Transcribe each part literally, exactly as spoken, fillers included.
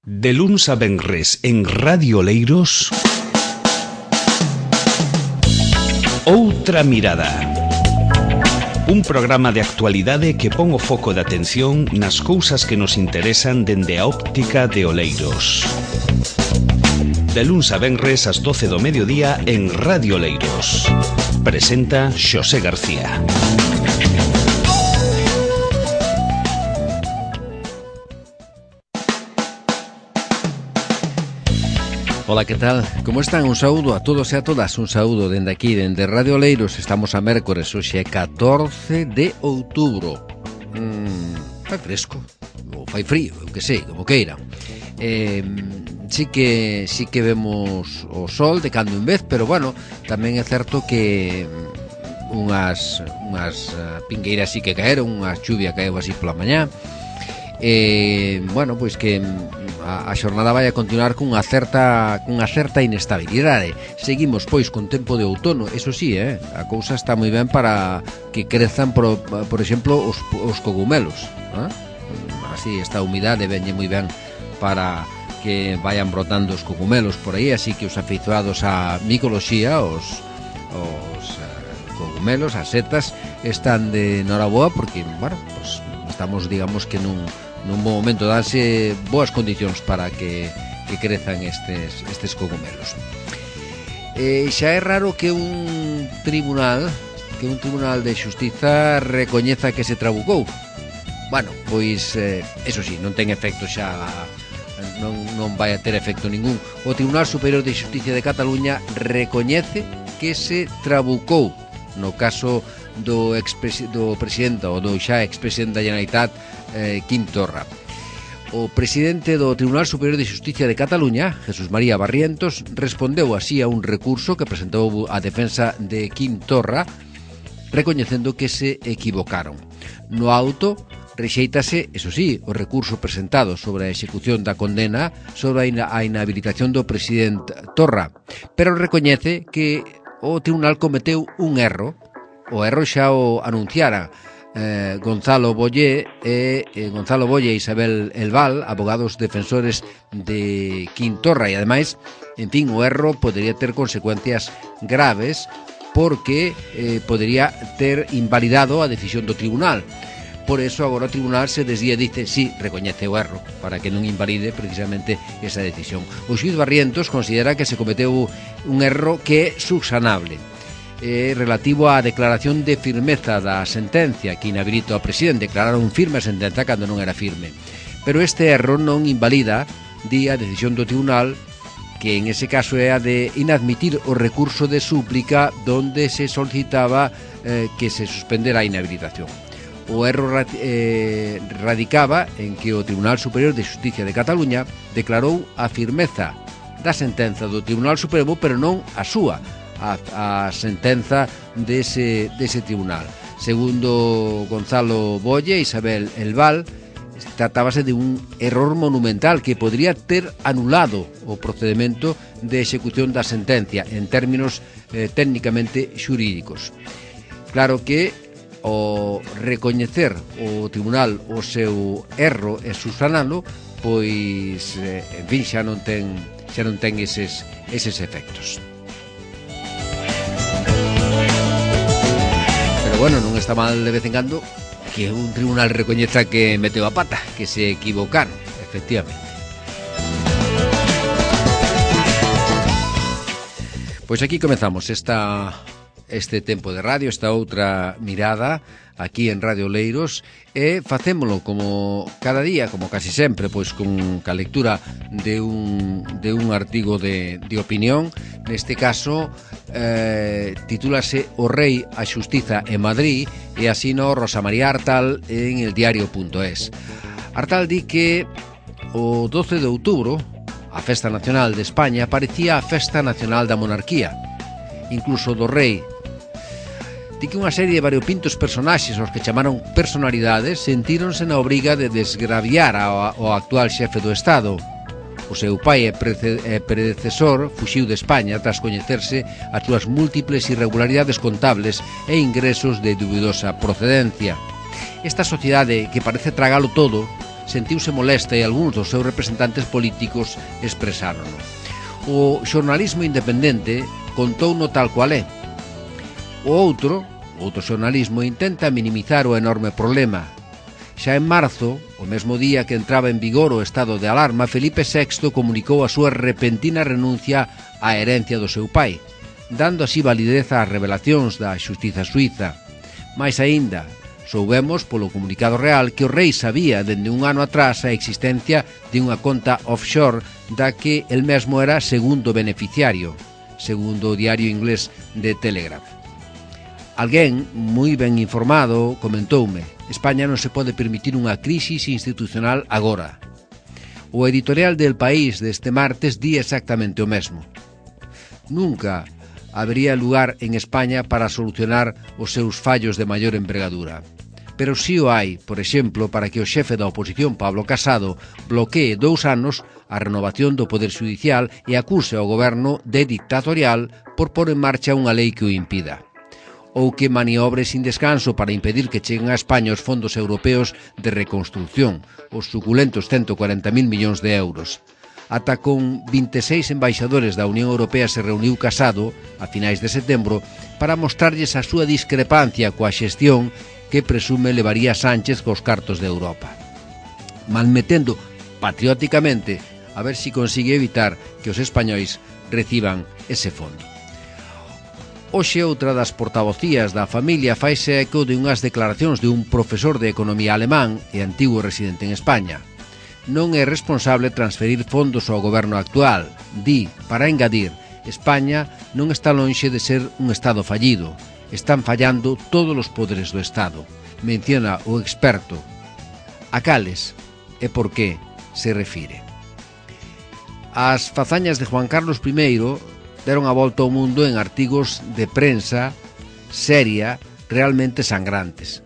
De luns a venres en Radio Oleiros, Outra Mirada. Un programa de actualidade que pon o foco de atención nas cousas que nos interesan dende a óptica de Oleiros. De luns a venres ás doce do mediodía en Radio Oleiros. Presenta Xosé García. Ola, que tal? Como están? Un saúdo a todos e a todas. Un saúdo dende aquí, dende Radio Oleiros. Estamos a mércores, hoxe é catorce de outubro. mm, Fai fresco ou fai frío, eu que sei, como queira. eh, Sí que sí que vemos o sol de cando en vez, pero bueno, tamén é certo que unhas, unhas pingueiras sí que caeron, unhas chuvia caeu así pola mañá. E, bueno, pois que a, a xornada vai a continuar cunha certa cunha certa inestabilidade. Seguimos pois con tempo de outono, eso sí, eh, a cousa está moi ben para que crezan por, por exemplo os, os cogumelos, eh? Así esta humidade venlle moi ben para que vayan brotando os cogumelos por aí, así que os afeizoados á micoloxía, os, os uh, cogumelos, as setas están de noraboa porque, bueno, pues estamos, digamos que nun nun bom momento, danse boas condicións para que, que crezan estes, estes cogumelos. E xa é raro que un tribunal que un tribunal de xustiza recoñeza que se trabucou. Bueno, pois, eh, eso sí, non ten efecto xa, non, non vai a ter efecto ningún. O Tribunal Superior de Xusticia de Cataluña recoñece que se trabucou no caso do, do presidente ou do xa expresidente da Generalitat, eh, Quim Torra. O presidente do Tribunal Superior de Xusticia de Cataluña, Jesús María Barrientos, respondeu así a un recurso que presentou a defensa de Quim Torra, recoñecendo que se equivocaron. No auto rexeítase, eso sí, o recurso presentado sobre a execución da condena sobre a inhabilitación do presidente Torra, pero recoñece que o tribunal cometeu un erro. O erro xa o anunciara eh, Gonzalo Bollé e eh, Gonzalo Bolle e Isabel Elval, abogados defensores de Quim Torra, e ademais, en fin, o erro podería ter consecuencias graves porque eh, podería ter invalidado a decisión do tribunal. Por eso agora o tribunal se desdía e dice sí, recoñece o erro para que non invalide precisamente esa decisión. O xuíz Barrientos considera que se cometeu un erro que é subsanable, eh, relativo á declaración de firmeza da sentencia que inhabilita ao presidente. Declararon firme a sentenza cando non era firme, pero este erro non invalida, di a decisión do tribunal, que en ese caso é a de inadmitir o recurso de súplica donde se solicitaba eh, que se suspendera a inhabilitación. O erro eh, radicaba en que o Tribunal Superior de Xusticia de Cataluña declarou a firmeza da sentenza do Tribunal Supremo, pero non a súa, a, a sentenza dese, dese tribunal. Segundo Gonzalo Bolle e Isabel Elval, tratábase de un error monumental que podría ter anulado o procedimento de execución da sentencia en términos eh, técnicamente xurídicos. Claro que o recoñecer o tribunal o seu erro e subsanalo, pois, eh, en fin, xa non ten xa non ten eses, eses efectos. Pero bueno, non está mal de vez en cando que un tribunal recoñeza que meteu a pata, que se equivocaron, efectivamente. Pois aquí comezamos esta este tempo de radio, esta outra mirada aquí en Radio Oleiros, e facémolo como cada día, como casi sempre, pois con ca lectura de un, de un artigo de, de opinión. Neste caso eh, titúlase O Rei, a Xustiza en Madrid, e asino Rosa María Artal en el diario punto es. Artal di que o doce de outubro, a Festa Nacional de España, parecía a Festa Nacional da Monarquía, incluso do Rei. Di que unha serie de variopintos personaxes aos que chamaron personalidades sentíronse na obriga de desgraviar ao, ao actual xefe do Estado. O seu pai e predecesor fuxiu de España tras coñecerse as súas múltiples irregularidades contables e ingresos de dubidosa procedencia. Esta sociedade que parece tragalo todo sentiuse molesta e algúns dos seus representantes políticos expresárono. O xornalismo independente contouno tal cual é. O outro, outro xornalismo, intenta minimizar o enorme problema. Xa en marzo, o mesmo día que entraba en vigor o estado de alarma, Felipe sexto comunicou a súa repentina renuncia á herencia do seu pai, dando así validez ás revelacións da xustiza suiza. Mais aínda, soubemos polo comunicado real que o rei sabía dende un ano atrás a existencia de unha conta offshore da que el mesmo era segundo beneficiario, segundo o diario inglés The Telegraph. Alguén moi ben informado comentoume: España non se pode permitir unha crisis institucional agora. O editorial del País deste martes di exactamente o mesmo. Nunca habería lugar en España para solucionar os seus fallos de maior envergadura. Pero si o hai, por exemplo, para que o xefe da oposición, Pablo Casado, bloquee dous anos a renovación do Poder Judicial e acuse ao goberno de dictatorial por pôr en marcha unha lei que o impida. Ou que maniobre sin descanso para impedir que cheguen a España os fondos europeos de reconstrucción, os suculentos ciento cuarenta mil millóns de euros. Ata con vinte e seis embaixadores da Unión Europea se reuniu Casado, a finais de setembro, para mostrarlles a súa discrepancia coa xestión que presume levaría Sánchez cos cartos de Europa, malmetendo patrióticamente a ver si consigue evitar que os españois reciban ese fondo. Hoxe outra das portavocías da familia faise eco de unhas declaracións de un profesor de economía alemán e antigo residente en España. Non é responsable transferir fondos ao goberno actual. Di, para engadir, España non está lonxe de ser un Estado fallido. Están fallando todos os poderes do Estado. Menciona o experto. A cales e por que se refire. As fazañas de Juan Carlos primeiro deron a volta ao mundo en artigos de prensa seria realmente sangrantes.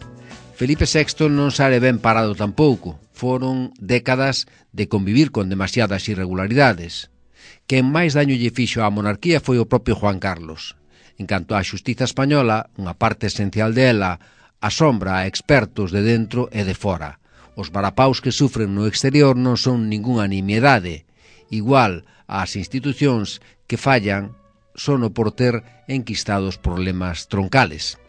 Felipe sexto non sale ben parado tampouco. Foron décadas de convivir con demasiadas irregularidades. Quen máis daño lle fixo á monarquía foi o propio Juan Carlos. En canto á xustiza española, unha parte esencial dela asombra a expertos de dentro e de fora. Os varapaus que sufren no exterior non son ningunha nimiedade. Igual ás institucións que fallan sono por ter enquistados problemas troncales.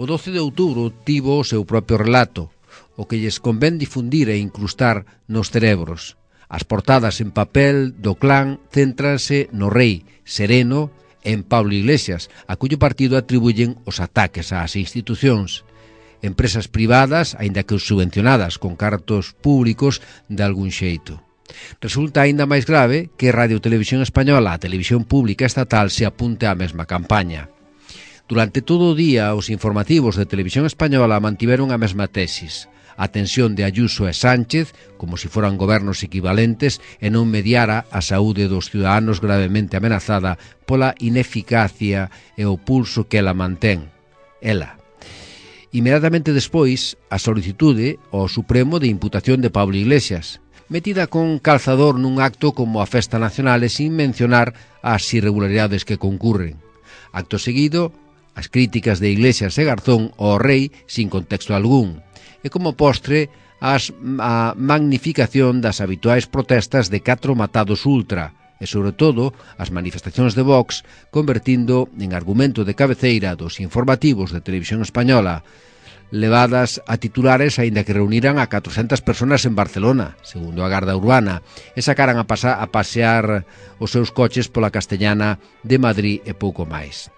O doce de outubro tivo o seu propio relato, o que lles convén difundir e incrustar nos cerebros. As portadas en papel do clan céntranse no rei, sereno, en Pablo Iglesias, a cuyo partido atribuyen os ataques ás institucións. Empresas privadas, aínda que subvencionadas con cartos públicos de algún xeito. Resulta aínda máis grave que Radio Televisión Española, a televisión pública estatal, se apunte á mesma campaña. Durante todo o día, os informativos de Televisión Española mantiveron a mesma tesis. A tensión de Ayuso e Sánchez, como se foran gobernos equivalentes, e non mediara a saúde dos ciudadanos gravemente amenazada pola ineficacia e o pulso que ela mantén. Ela. Inmediatamente despois, a solicitude ao Supremo de imputación de Pablo Iglesias, metida con calzador nun acto como a Festa Nacional e sin mencionar as irregularidades que concurren. Acto seguido, as críticas de Iglesias e Garzón ao rei sin contexto algún, e como postre as, a magnificación das habituais protestas de catro matados ultra e, sobre todo, as manifestacións de Vox, convertindo en argumento de cabeceira dos informativos de Televisión Española, levadas a titulares aínda que reuniran a catrocentas personas en Barcelona, segundo a Garda Urbana, e sacaran a, pasa, a pasear os seus coches pola Castellana de Madrid e pouco máis.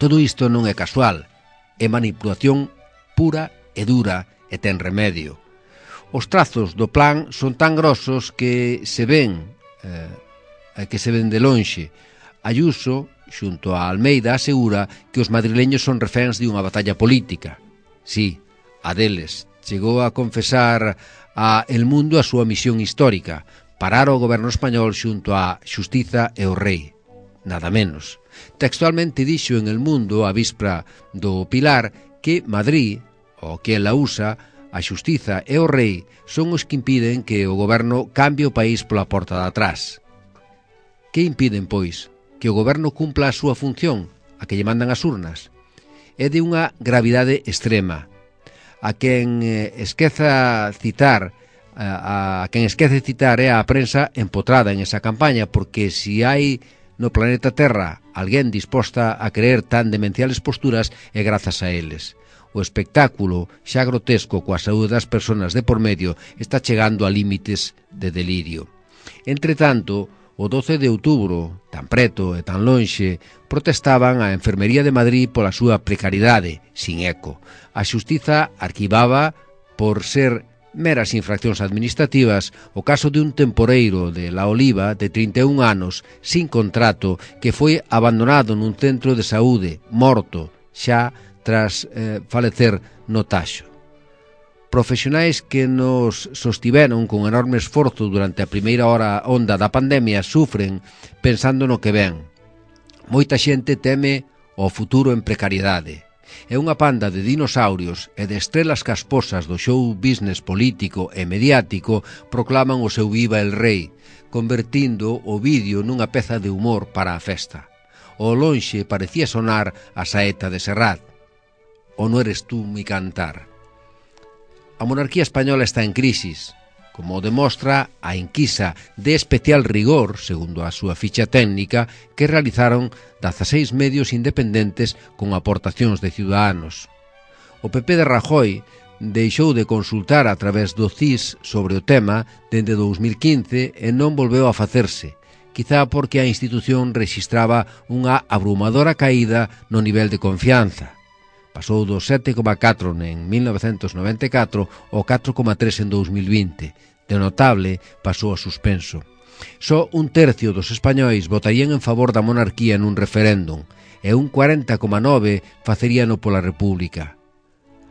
Todo isto non é casual, é manipulación pura e dura e ten remedio. Os trazos do plan son tan grosos que se ven eh, que se ven de lonxe. Ayuso, xunto a Almeida, asegura que os madrileños son reféns de unha batalla política. Sí, a deles. Chegou a confesar a El Mundo a súa misión histórica, parar o goberno español xunto á xustiza e o rei. Nada menos. Textualmente dixo en El Mundo, a víspera do Pilar, que Madrid, o que ela usa, a xustiza e o rei son os que impiden que o goberno cambie o país pola porta de atrás. Que impiden, pois? Que o goberno cumpla a súa función, a que lle mandan as urnas? É de unha gravidade extrema. A quen eh, esqueza citar a, a quen esquece citar é a prensa empotrada en esa campaña, porque si hai no planeta Terra alguén disposta a creer tan demenciales posturas é grazas a eles. O espectáculo, xa grotesco coa saúde das persoas de por medio, está chegando a límites de delirio. Entretanto, o doce de outubro, tan preto e tan lonxe, protestaban a Enfermería de Madrid pola súa precariedade, sin eco. A xustiza arquivaba por ser meras infraccións administrativas o caso de un temporeiro de La Oliva de trinta e un anos, sin contrato, que foi abandonado nun centro de saúde, morto, xa tras eh, falecer no Taxo. Profesionais que nos sostiveron con enorme esforzo durante a primeira hora onda da pandemia sufren pensando no que ven. Moita xente teme o futuro en precariedade. É unha panda de dinosaurios e de estrelas casposas do show business político e mediático proclaman o seu viva el rei, convertindo o vídeo nunha peza de humor para a festa. O lonxe parecía sonar a saeta de Serrat. O no eres tú mi cantar. A monarquía española está en crisis, como demostra a enquisa de especial rigor, segundo a súa ficha técnica, que realizaron dezaseis medios independentes con aportacións de ciudadanos. O P P de Rajoy deixou de consultar a través do C I S sobre o tema dende dous mil quince e non volveu a facerse, quizá porque a institución rexistraba unha abrumadora caída no nivel de confianza. Pasou do sete coma catro en mil novecentos noventa e catro ao catro coma tres en dous mil vinte. De notable, pasou a suspenso. Só un tercio dos españois votarían en favor da monarquía nun referéndum e un cuarenta coma nove faceríano pola República.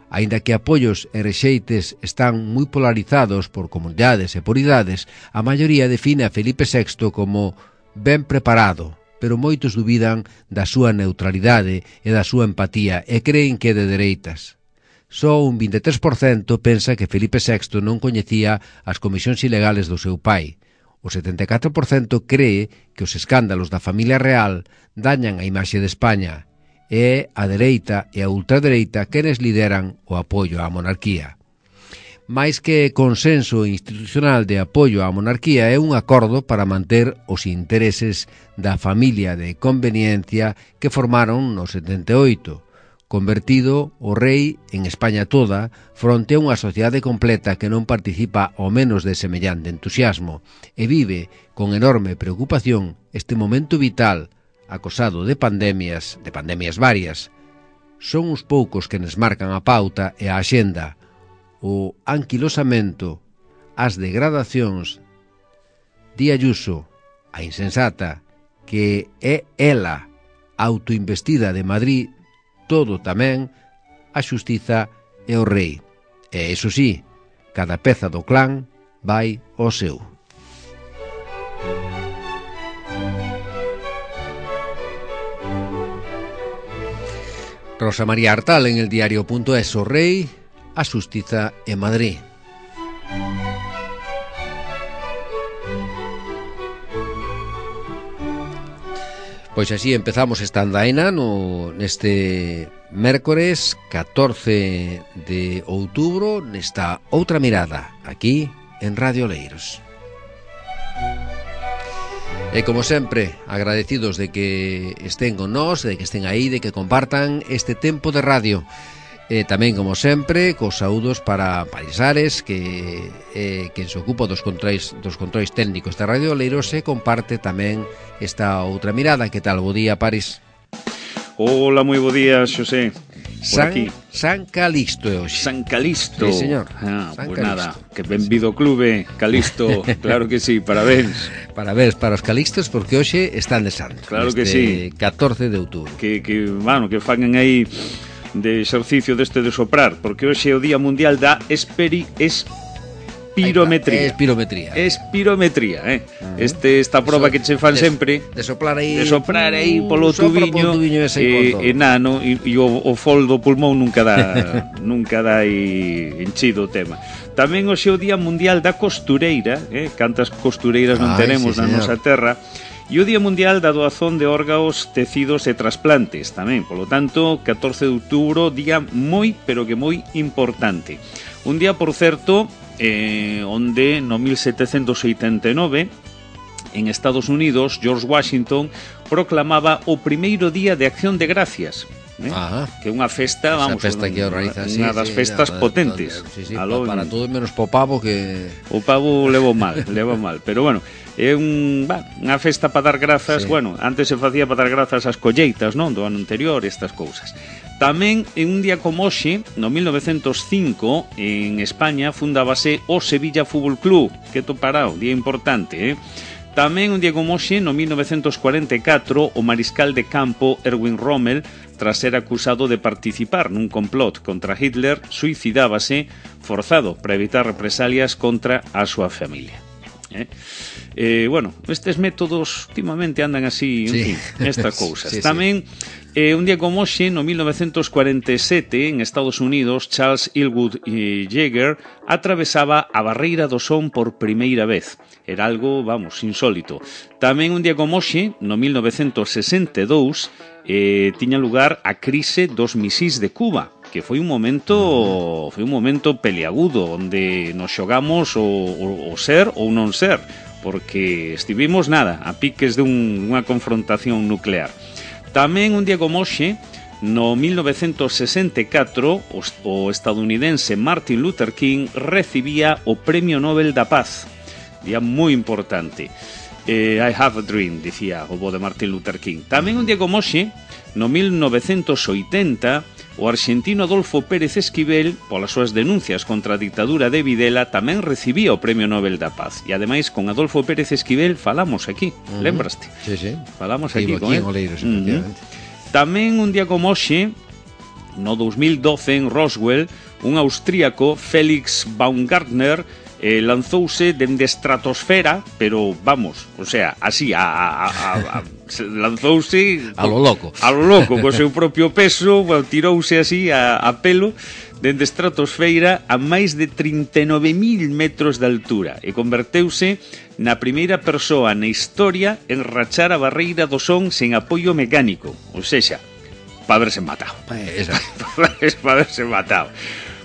Aínda que apoios e rexeites están moi polarizados por comunidades e por idades, a maioría define a Felipe sexto como ben preparado, pero moitos dubidan da súa neutralidade e da súa empatía e creen que é de dereitas. Só un vinte e tres por cento pensa que Felipe sexto non coñecía as comisións ilegales do seu pai. O setenta e catro por cento cree que os escándalos da familia real dañan a imaxe de España e a dereita e a ultradereita quenes lideran o apoio á monarquía. Mais que consenso institucional de apoio á monarquía é un acordo para manter os intereses da familia de conveniencia que formaron no setenta e oito, convertido o rei en España toda fronte a unha sociedade completa que non participa ao menos de semellante entusiasmo e vive con enorme preocupación este momento vital acosado de pandemias, de pandemias varias. Son uns poucos que nos marcan a pauta e a axenda, o anquilosamento, as degradacións, Di Ayuso, a insensata, que é ela, autoinvestida de Madrid, todo tamén, a xustiza e o rei. E, iso sí, cada peza do clan vai ao seu. Rosa María Artal en el diario.es, o rei, a xustiza e Madrid. Pois así empezamos esta andaina no, neste mércores catorce de outubro, nesta outra mirada, aquí en Radio Oleiros. E como sempre, agradecidos de que estén con nós, de que estén aí, de que compartan este tempo de radio. E tamén, como sempre, cos saúdos para Paris Ares, que é quen se ocupa dos controis, dos controis técnicos de Radio Oleiros e comparte tamén esta outra mirada. Que tal? Bo día, Paris. Hola, moi bo día, Xosé. San, San Calixto é hoxe. San Calixto. Sí, señor. Ah, San pues Calixto. Nada, que benvido clube, Calixto. Claro que sí, parabéns. Parabéns para os Calixtos, porque hoxe están de santo. Claro que sí. catorce de outubro. Que, que, bueno, que fagan aí de exercicio deste de soprar, porque hoxe é o Día Mundial da Esperi... Espirometría. Espirometría. Espirometría, eh. Uh-huh. Este, esta proba so, que che fan de, sempre de soplar aí, de soprar aí polo tubiño, tubiño e, e nano, e, e o, o fol do pulmón nunca dá nunca dá aí enchido o tema. Tamén hoxe é o Día Mundial da Costureira, eh. Cantas costureiras non Ai, tenemos sí, na nosa terra. E o Día Mundial da Doazón de Órganos, Tecidos e Trasplantes tamén. Polo tanto, catorce de outubro, día moi, pero que moi importante. Un día, por certo, eh, onde no mil setecentos oitenta e nove en Estados Unidos George Washington proclamaba o primeiro día de Acción de Gracias, ¿eh? Que é unha festa, vamos, esa festa que organiza, unha das sí, festas sí, potentes. Sí, sí, Aló, para todo menos po pavo que o pavo levou mal, levou mal, pero bueno, é un, bah, unha festa para dar grazas, sí. Bueno, antes se facía para dar grazas ás colleitas, non, do ano anterior, estas cousas. Tamén, en un día como hoxe, no mil novecentos cinco, en España, fundábase o Sevilla Fútbol Club, que topará, un día importante, eh? Tamén, un día como hoxe, no mil novecentos cuarenta e catro, o mariscal de campo Erwin Rommel, tras ser acusado de participar nun complot contra Hitler, suicidábase forzado para evitar represalias contra a súa familia. Eh? Eh, bueno, estes métodos últimamente andan así, en sí. fin, estas cousas. Sí, tamén, sí. Eh, un día como hoxe, no mil novecentos cuarenta e sete, en Estados Unidos, Charles Elwood eh, Yeager atravesaba a barreira do son por primeira vez. Era algo, vamos, insólito. Tamén un día como hoxe, no mil novecentos sesenta e dous, eh, tiña lugar a crise dos misís de Cuba, que foi un momento foi un momento peliagudo, onde nos xogamos o, o, o ser ou non ser, porque estivimos nada, a piques de un, unha confrontación nuclear. Tamén un día como hoxe, no mil novecentos sesenta e catro, o, o estadounidense Martin Luther King recibía o Premio Nobel da Paz. Día moi importante. Eh, I have a dream, dicía o bo de Martin Luther King. Tamén un día como hoxe, no mil novecentos oitenta, o arxentino Adolfo Pérez Esquivel, polas súas denuncias contra a dictadura de Videla, tamén recibía o Premio Nobel da Paz. E ademais, con Adolfo Pérez Esquivel falamos aquí, uh-huh. Lembraste? Sí, sí. Falamos aquí, Ibo con aquí él. En Oleiros, uh-huh. Tamén un día como hoxe, no dos mil doce, en Roswell, un austríaco, Felix Baumgartner, eh, lanzouse dende estratosfera, pero vamos, o sea, así, a, a, a, a lanzouse a lo loco, a lo loco, co seu propio peso, well, tirouse así a, a pelo dende estratosfera a máis de trinta e nove mil metros de altura e converteuse na primeira persoa na historia en rachar a barreira do son sen apoio mecánico, ou sexa, para haberse matado. Para haberse matado.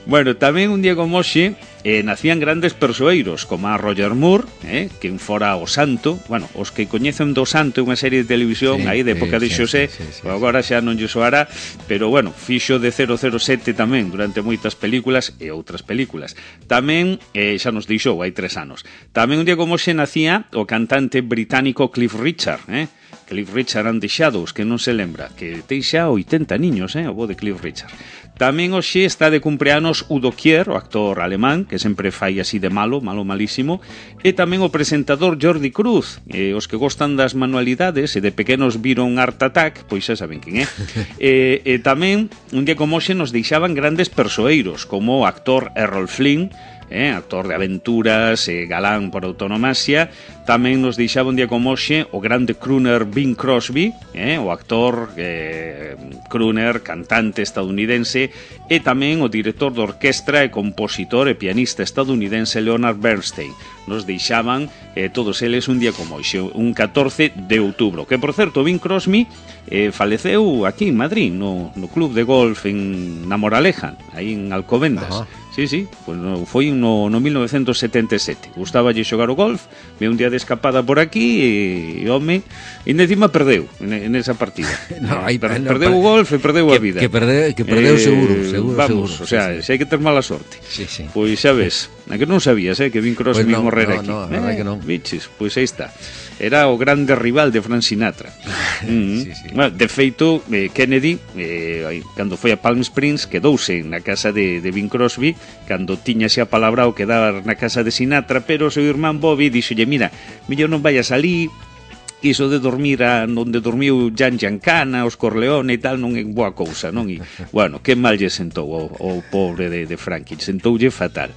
Bueno, tamén un día como hoxe eh, nacían grandes persoeiros como a Roger Moore, eh, que fora o Santo. Bueno, os que coñecen do Santo unha serie de televisión, sí, aí de época sí, de Xosé, sí, sí, sí, agora xa non lle soará, pero bueno, fixo de cero cero sete tamén durante moitas películas e outras películas. Tamén, eh, xa nos deixou hai tres anos. Tamén un día como hoxe nacía o cantante británico Cliff Richard, eh? Cliff Richard and the Shadows, que non se lembra, que ten xa oitenta niños, eh, o bo de Cliff Richard. Tamén hoxe está de cumpleanos Udo Kier, o actor alemán, que sempre fai así de malo, malo malísimo, e tamén o presentador Jordi Cruz. Eh, os que gostan das manualidades e de pequenos viron Art Attack, pois xa saben quen é. e, e tamén, un día como hoxe, nos deixaban grandes persoeiros, como o actor Errol Flynn, Eh, actor de aventuras, eh, galán por autonomasia. Tamén nos deixaba un día como hoxe o grande crooner Bing Crosby, eh, o actor eh, crooner, cantante estadounidense, e tamén o director de orquestra e compositor e pianista estadounidense Leonard Bernstein. Nos deixaban eh, todos eles un día como hoxe, un catorce de outubro, que por certo Bing Crosby eh, faleceu aquí en Madrid, no, no club de golf en na Moraleja, aí en Alcobendas. Ajá. Sí, sí, pues no, foi no, no mil novecentos setenta e sete. Gustaballe xogar o golf, ve un día de escapada por aquí e, e home, e encima perdeu en, en esa partida. no, hai, per, no, perdeu o golf e perdeu que, a vida. Que perdeu, que perdeu eh, seguro, seguro, vamos, seguro. O sea, sí, sí. Se hai que ter mala sorte. Sí, sí. Pois xa ves, a que non sabías, eh, que Bing Crosby pues no, morrera no, aquí. No, no, eh, que non. Biches, pois aí está. Era o grande rival de Frank Sinatra. mm-hmm. sí, sí. Bueno, de feito, eh, Kennedy, eh, cando foi a Palm Springs, quedouse na casa de, de Bing Crosby, cando tiña xa palabra o quedar na casa de Sinatra, pero o seu irmán Bobby dixolle, mira, millón non vayas alí, iso de dormir a onde dormiu Jan Giancana, os Corleone e tal, non é boa cousa, non? E, bueno, que mal lle sentou o, o pobre de, de Frankie, sentoulle fatal.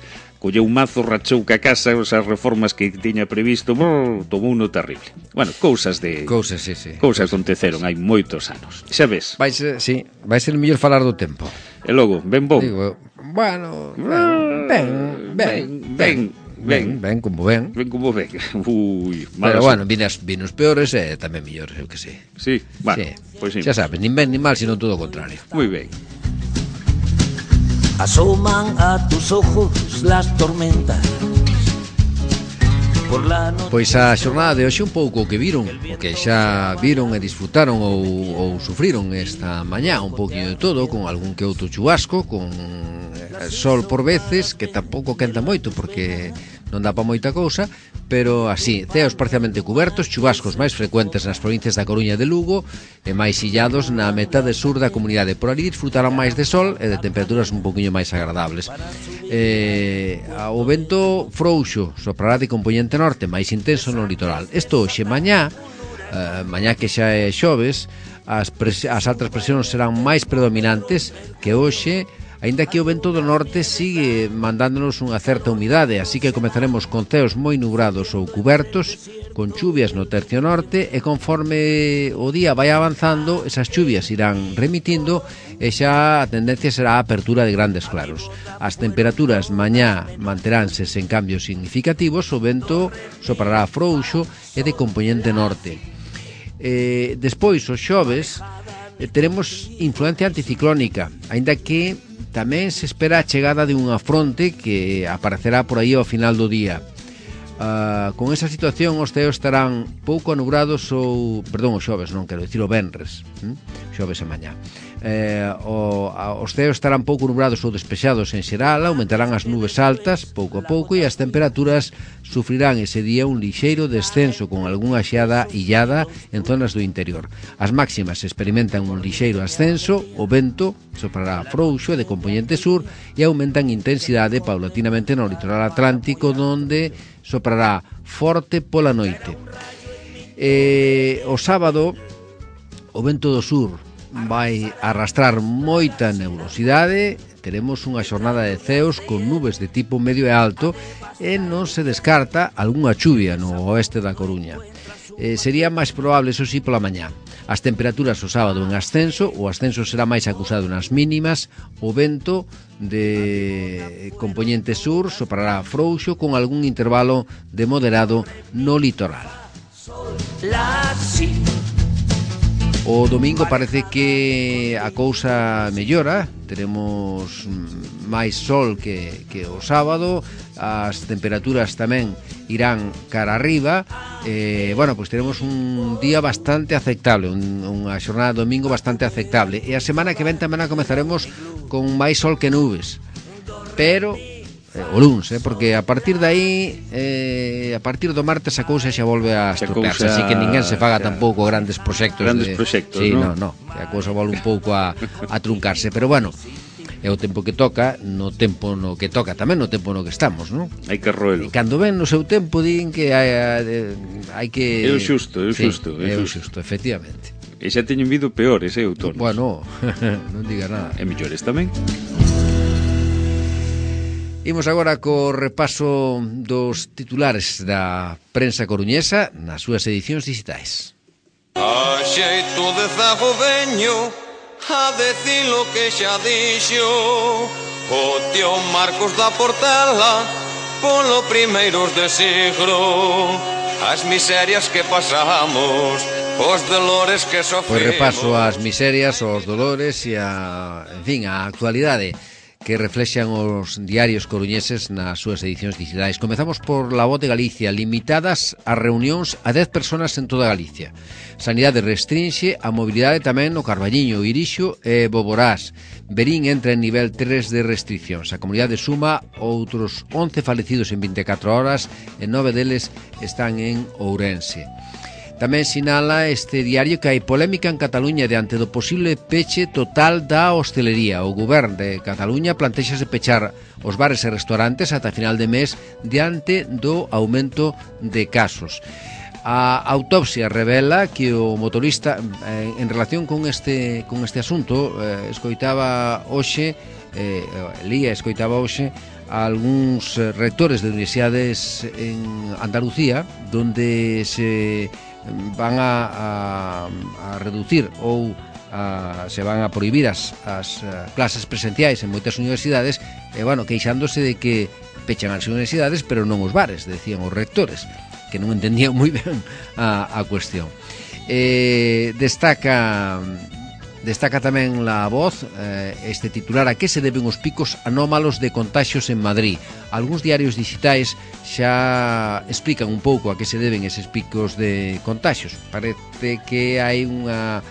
Colleu un mazo, rachou ca casa, as reformas que tiña previsto, brrr, tomou uno terrible. Bueno, cousas de... Cousas, sí, sí. Cousas aconteceron hai moitos anos. Xa ves? Vai ser, sí, vai ser mellor falar do tempo. E logo, ben bom. Digo, bueno, ben, ben, ben, ben, ben, ben, como ben. Ben como ben. Ui, pero bueno, vinos, vinos peores e tamén mellores, eu que sei. Sí, bueno, sí. Pois sí. Xa sabes, nin ben nin mal, sino todo o contrario. Moi ben. asoman a tus ojos las tormentas. Pois a xornada de hoxe un pouco o que viron, o que xa viron e disfrutaron ou, ou sufriron esta mañá, un pouquinho de todo, con algún que outro chubasco, con sol por veces, que tampouco quenta moito porque non dá pa moita cousa, pero así, ceos parcialmente cubertos, chubascos máis frecuentes nas provincias da Coruña e de Lugo e máis illados na metade sur da comunidade. Por ali disfrutaron máis de sol e de temperaturas un poquinho máis agradables. Eh, o vento frouxo soprará de componente norte, máis intenso no litoral. Isto hoxe mañá, eh, mañá que xa é xoves, as, as altas presións serán máis predominantes que hoxe, aínda que o vento do norte sigue mandándonos unha certa humidade, así que comezaremos con ceos moi nubrados ou cubertos, con chuvias no tercio norte, e conforme o día vai avanzando, esas chuvias irán remitindo e xa a tendencia será a apertura de grandes claros. As temperaturas mañá manteránse sen cambios significativos, o vento soprará frouxo e de componente norte. Eh, despois, os xoves, eh, teremos influencia anticiclónica, aínda que tamén se espera a chegada de unha fronte que aparecerá por aí ao final do día. Uh, con esa situación os ceos estarán pouco anubrados ou, perdón, os xoves, non quero dicir o venres, hm? xoves e mañá. Eh, o, a, os ceos estarán pouco nubrados ou despexados en xeral, aumentarán as nubes altas pouco a pouco e as temperaturas sufrirán ese día un lixeiro descenso con algunha xeada illada en zonas do interior. As máximas experimentan un lixeiro ascenso, o vento soprará frouxo e de componente sur e aumentan intensidade paulatinamente no litoral atlántico, donde soprará forte pola noite. Eh, o sábado o vento do sur vai arrastrar moita nebulosidade, teremos unha xornada de ceos con nubes de tipo medio e alto e non se descarta algunha chuvia no oeste da Coruña. Eh, sería máis probable, eso sí, pola mañá. As temperaturas o sábado en ascenso, o ascenso será máis acusado nas mínimas, o vento de componente sur soprará frouxo con algún intervalo de moderado no litoral. O domingo parece que a cousa mellora, teremos máis sol que, que o sábado, as temperaturas tamén irán cara arriba, e, bueno, pois teremos un día bastante aceptable, un, unha xornada de domingo bastante aceptable, e a semana que ven tamén a comezaremos con máis sol que nubes, pero eh, o luns, eh, porque a partir de aí eh, a partir do martes a cousa xa volve a estropearse, cousa... así que ninguén se faga tampouco grandes proxectos grandes de... proxectos, sí, ¿no? no, no, a cousa volve un pouco a, a truncarse, pero bueno, é o tempo que toca, no tempo no que toca, tamén no tempo no que estamos, non? Hai que roelo. E cando ven no seu tempo din que hai, hai que... É o xusto, é o xusto, sí, é o xusto, efectivamente. E xa teñen vido peores, eh, outonos. Bueno, non diga nada. E mellores tamén. Imos agora co repaso dos titulares da prensa coruñesa nas súas edicións digitais. A xeito de zago veño a decir lo que xa dixo o tío Marcos da Portela polo primeiros de siglo, as miserias que pasamos, os dolores que sofrimos. Pois repaso as miserias, os dolores e a, en fin, a actualidade que reflexan os diarios coruñeses nas súas edicións digitais. Comezamos por La Voz de Galicia, limitadas as reunións a dez personas en toda Galicia. Sanidade restrinxe a mobilidade tamén no Carballiño, Irixo e Boborás. Verín entra en nivel tres de restriccións. A comunidade suma outros once falecidos en vinte e catro horas e nove deles están en Ourense. Tamén sinala este diario que hai polémica en Cataluña diante do posible peche total da hostelería. O Govern de Cataluña plantexase pechar os bares e restaurantes ata final de mes diante do aumento de casos. A autopsia revela que o motorista, eh, en relación con este, con este asunto, eh, escoitaba hoxe, eh, lía escoitaba hoxe, a algúns rectores de universidades en Andalucía, donde se van a, a, a reducir ou a, se van a prohibir as, as clases presenciais en moitas universidades, e, bueno, queixándose de que pechan as universidades pero non os bares, decían os rectores, que non entendían moi ben a, a cuestión. Eh, destaca Destaca tamén La Voz eh, este titular: a que se deben os picos anómalos de contaxios en Madrid. Algúns diarios digitais xa explican un pouco a que se deben eses picos de contaxios. Parece que hai unha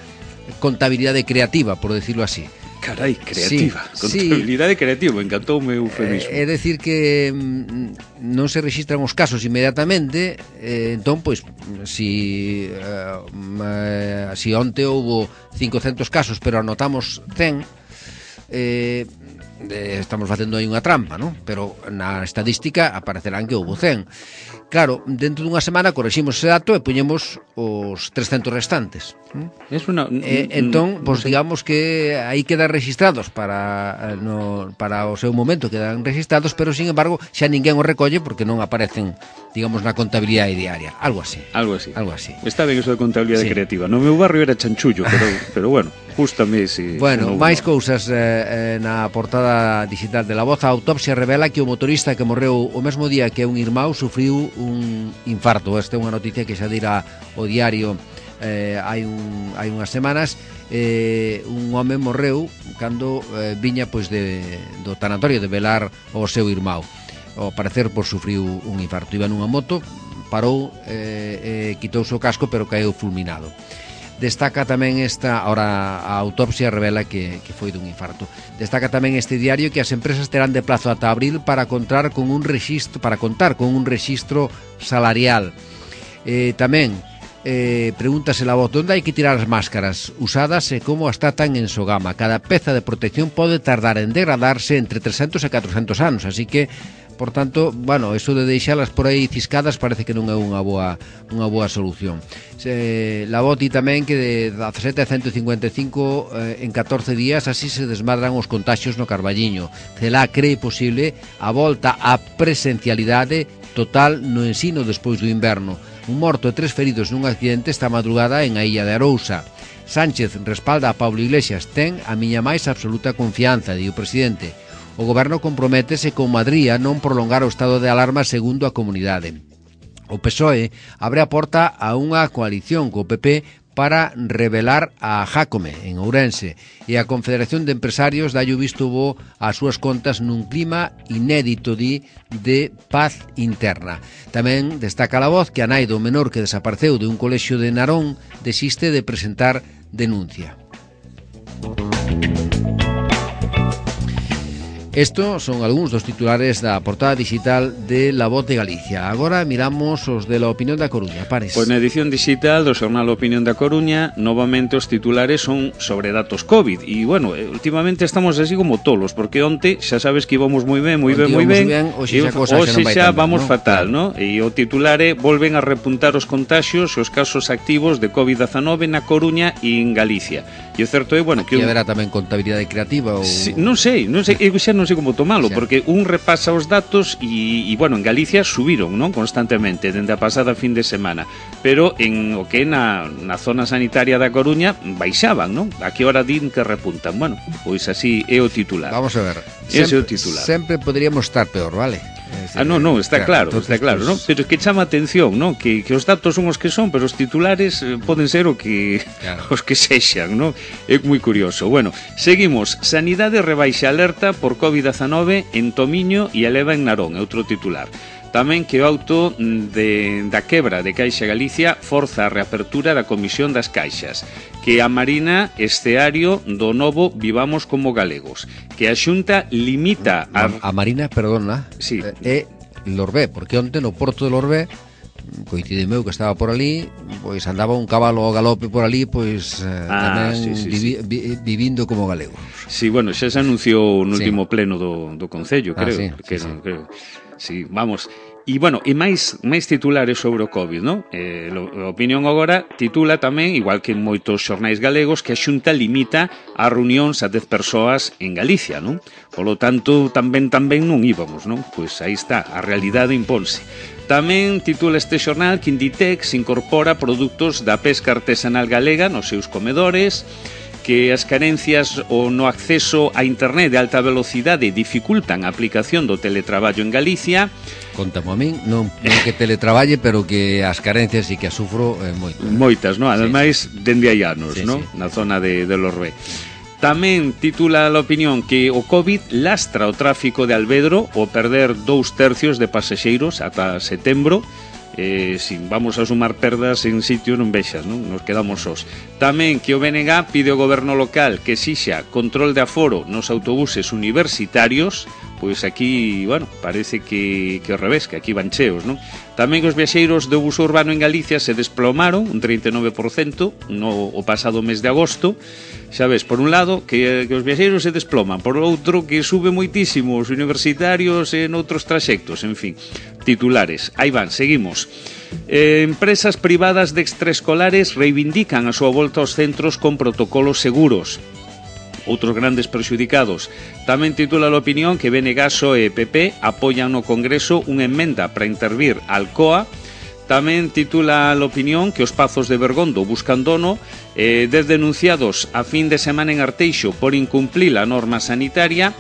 contabilidade creativa, por decirlo así. Carai, creativa, sí, contabilidade sí. creativa, encantoume o eufemismo. É eh, decir que mm, non se rexistran os casos inmediatamente, eh, entón, pois, si, eh, si onte houbo cincocentos casos, pero anotamos cen, eh, estamos facendo aí unha trampa, non? Pero na estadística aparecerán que houbo cen. Claro, dentro dunha semana correximos ese dato e poñemos os trescentos restantes. Es una, eh, entón, pois, digamos que aí quedan registrados para no, para o seu momento, quedan registrados, pero, sin embargo, xa ninguén os recolle porque non aparecen, digamos, na contabilidade diaria. Algo así. Algo así. Algo así. Está ben eso de contabilidade sí. creativa. No meu barrio era chanchullo, pero, pero bueno, justame ese... Bueno, no, máis no. cousas eh, na portada digital de La Voz. A autopsia revela que o motorista que morreu o mesmo día que un irmão sufriu un infarto. Esta é unha noticia que xa dirá o diario eh, hai, un, hai unhas semanas. Eh, un home morreu cando eh, viña pois de, do tanatorio de velar o seu irmão. Ao parecer, pois, sufriu un infarto. Iba nunha moto, parou, eh, eh, quitouse o casco, pero caeu fulminado. Destaca tamén esta, ahora a autopsia revela que, que foi dun infarto. Destaca tamén este diario que as empresas terán de plazo ata abril para contar con un rexistro, para contar con un rexistro salarial. Eh, tamén eh, pregúntase La Voz: onde hai que tirar as máscaras usadas e como as tratan en Sogama? Cada peza de protección pode tardar en degradarse entre trescentos e catrocentos anos, así que, por tanto, bueno, eso de deixalas por aí ciscadas parece que non é unha boa unha boa solución. Se, La Voz di tamén que de dezasete a ciento cincuenta e cinco eh, en catorce días así se desmadran os contaxios no Carballiño. Celá cree posible a volta á presencialidade total no ensino despois do inverno. Un morto e tres feridos nun accidente esta madrugada en a Illa de Arousa. Sánchez respalda a Pablo Iglesias: ten a miña máis absoluta confianza, di o presidente. O goberno comprométese con Madrid a non prolongar o estado de alarma segundo a comunidade. O P S O E abre a porta a unha coalición co P P para revelar a Jácome en Ourense, e a Confederación de Empresarios dalle o visto bo ás súas contas nun clima inédito, di, de paz interna. Tamén destaca La Voz que a nai do menor que desapareceu de un colexio de Narón desiste de presentar denuncia. Estos son algúns dos titulares da portada digital de La Voz de Galicia. Agora miramos os de La Opinión da Coruña. Pares. Pois na edición digital do xornal Opinión da Coruña, novamente os titulares son sobre datos COVID. E, bueno, últimamente estamos así como tolos, porque onte xa sabes que íbamos moi ben, moi ben, moi ben. Hoxe xa, cosa hoxe xa, xa tanto, vamos ¿no? fatal, ¿no? E o titular é: volven a repuntar os contaxios e os casos activos de COVID dezanove na Coruña e en Galicia. E o certo é, bueno, que... que... haberá tamén contabilidade creativa ou... Sí, non sei, non sei, eu xa non sei como tomalo, xa. Porque un repasa os datos e, e, bueno, en Galicia subiron, non? Constantemente, dende a pasada fin de semana. Pero en o que é na, na zona sanitaria da Coruña baixaban, non? A que hora din que repuntan? Bueno, pois así é o titular. Vamos a ver. Ese é o sempre, titular. Sempre poderíamos estar peor, vale? Decir, ah, non, non, está claro, claro entonces, está claro, pues... ¿no? Pero es que chama atención, ¿no? Que, que os datos son os que son, pero os titulares eh, poden ser o que claro. os que sexan, ¿no? É moi curioso. Bueno, seguimos. Sanidade rebaixa alerta por COVID dezanove en Tomiño e eleva en Narón, é outro titular. Tamén que o auto de, da quebra de Caixa Galicia forza a reapertura da Comisión das Caixas, que a Marina esteario do novo Vivamos como Galegos, que a Xunta limita a... A, a Marina, perdona, sí. é Lorbé, porque onte no porto de Lorbé, coincide meu que estaba por ali, pois andaba un cabalo ao galope por ali, pois eh, ah, tamén sí, sí, vivi, sí. vi, vivindo como galegos. Sí, bueno, xa se anunciou no sí. último pleno do, do Concello, creo, ah, sí, que sí, non, sí. creo. Sí, vamos. E, bueno, e máis máis titulares sobre o COVID, non? Eh, a Opinión agora titula tamén, igual que en moitos xornais galegos, que a Xunta limita as reunións a dez persoas en Galicia, non? Polo tanto, tamén tamén non íbamos, non? Pois aí está, a realidade imponse. Tamén titula este xornal que Inditex incorpora produtos da pesca artesanal galega nos seus comedores, que as carencias ou no acceso a internet de alta velocidade dificultan a aplicación do teletraballo en Galicia, Contamo a min, non, non que teletraballe, pero que as carencias e que as sufro eh, moito. Moitas, non? Ademais, sí, dende hai anos, sí, non? Sí. Na zona de, de Los Rue. Tamén titula a opinión que o COVID lastra o tráfico de Alvedro ao perder dous tercios de pasaxeiros ata setembro. Eh, si vamos a sumar perdas en sitios non vexas, non? Nos quedamos sós. Tamén que o B N G pide ao goberno local que exixa control de aforo nos autobuses universitarios. Pois aquí, bueno, parece que, que ao revés, que aquí van cheos, non? Tamén que os viaxeiros do bus urbano en Galicia se desplomaron un trinta e nove por cento no o pasado mes de agosto. Xa ves, por un lado, que, que os viaxeiros se desploman, por outro, que sube moitísimo os universitarios en outros traxectos, en fin, titulares. Aí van, seguimos. Eh, empresas privadas de extraescolares reivindican a súa volta aos centros con protocolos seguros. Outros grandes perxudicados. Tamén titula a opinión que B N G, P S O E e P P apoian no Congreso unha emenda para intervir Alcoa. Tamén titula a opinión que os Pazos de Bergondo buscan dono. Eh, dez denunciados a fin de semana en Arteixo por incumplir a norma sanitaria.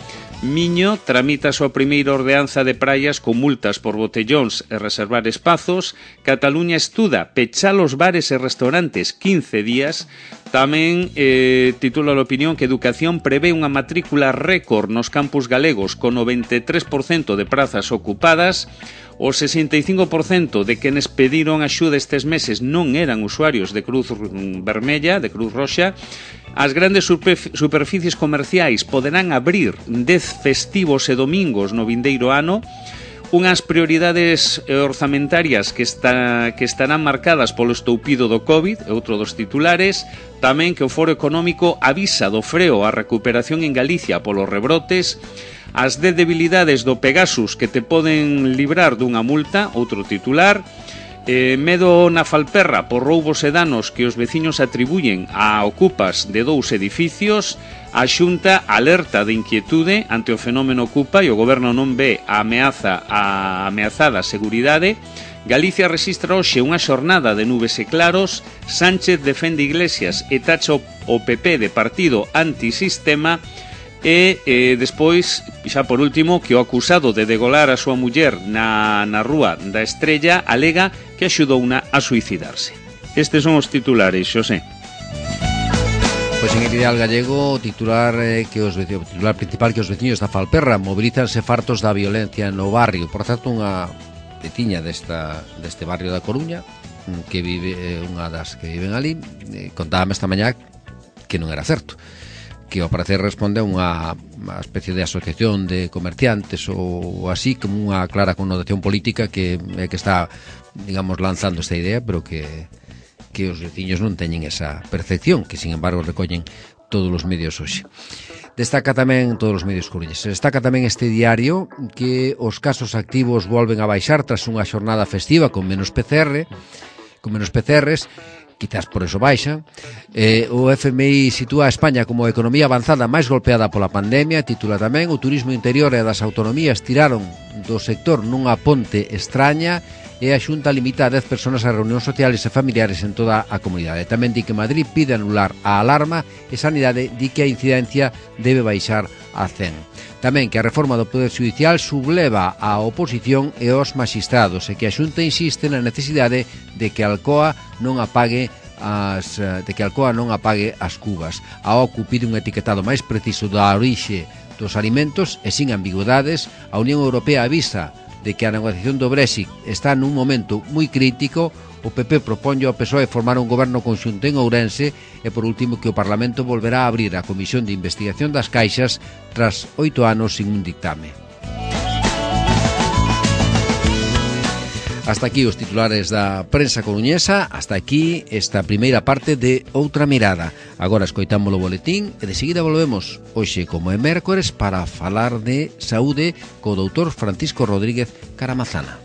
Miño tramita a súa primeira ordenanza de praias con multas por botellóns e reservar espazos. Cataluña estuda pechar os bares e restaurantes quince días. Tamén eh, titula a opinión que Educación prevé unha matrícula récord nos campus galegos con noventa e tres por cento de prazas ocupadas. O sesenta e cinco por cento de quenes pediron axuda estes meses non eran usuarios de Cruz Vermella, de Cruz Roxa. As grandes superficies comerciais poderán abrir dez festivos e domingos no vindeiro ano. Unhas prioridades orzamentarias que, está, que estarán marcadas polo estoupido do COVID, outro dos titulares. Tamén que o Foro Económico avisa do freo á recuperación en Galicia polos rebrotes. As dez debilidades do Pegasus que te poden librar dunha multa, outro titular. Eh, medo na Falperra por roubos e danos que os veciños atribuyen a ocupas de dous edificios. A Xunta alerta de inquietude ante o fenómeno ocupa e o goberno non ve a ameaza a ameazada seguridade. Galicia registra hoxe unha xornada de nubes e claros. Sánchez defende Iglesias e tacha o P P de partido antisistema. E eh, despois, xa por último, que o acusado de degolar a súa muller na, na rúa da Estrella alega que axudouna a suicidarse. Estes son os titulares, Xosé. Pois en el Ideal Gallego, o titular, eh, que os veciños, o titular principal que os veciños da Falperra mobilízanse fartos da violencia no barrio. Por tanto, unha veciña desta, deste barrio da Coruña, que vive, eh, unha das que viven ali, eh, contábame esta mañá que non era certo, que ao parecer responde a unha, unha especie de asociación de comerciantes ou así, como unha clara connotación política que é que está, digamos, lanzando esta idea, pero que, que os veciños non teñen esa percepción, que sin embargo recollen todos os medios hoxe. Destaca tamén todos os medios coruñeses. Destaca tamén este diario que os casos activos volven a baixar tras unha xornada festiva con menos P C R, con menos P C Rs, quizás por eso baixa. Eh, o F M I sitúa a España como a economía avanzada máis golpeada pola pandemia. Titula tamén: o turismo interior e das autonomías tiraron do sector nunha ponte extraña, e a Xunta limita a dez persoas a reunións sociales e familiares en toda a comunidade. Tamén di que Madrid pide anular a alarma e Sanidade di que a incidencia debe baixar a cen. Tamén que a reforma do Poder Judicial subleva a oposición e os maxistrados, e que a Xunta insiste na necesidade de que Alcoa non apague as de que Alcoa non apague as cubas. A O C U pide un etiquetado máis preciso da orixe dos alimentos e sin ambigüedades. A Unión Europea avisa de que a negociación do Brexit está nun momento moi crítico. O P P proponlle ao P S O E formar un goberno conxunto en Ourense, e por último que o Parlamento volverá a abrir a Comisión de Investigación das Caixas tras oito anos sin un dictame. Hasta aquí os titulares da prensa coruñesa. Hasta aquí esta primeira parte de Outra Mirada. Agora escoitamos o boletín e de seguida volvemos hoxe, como é mércores, para falar de saúde co doutor Francisco Rodríguez Caramazana.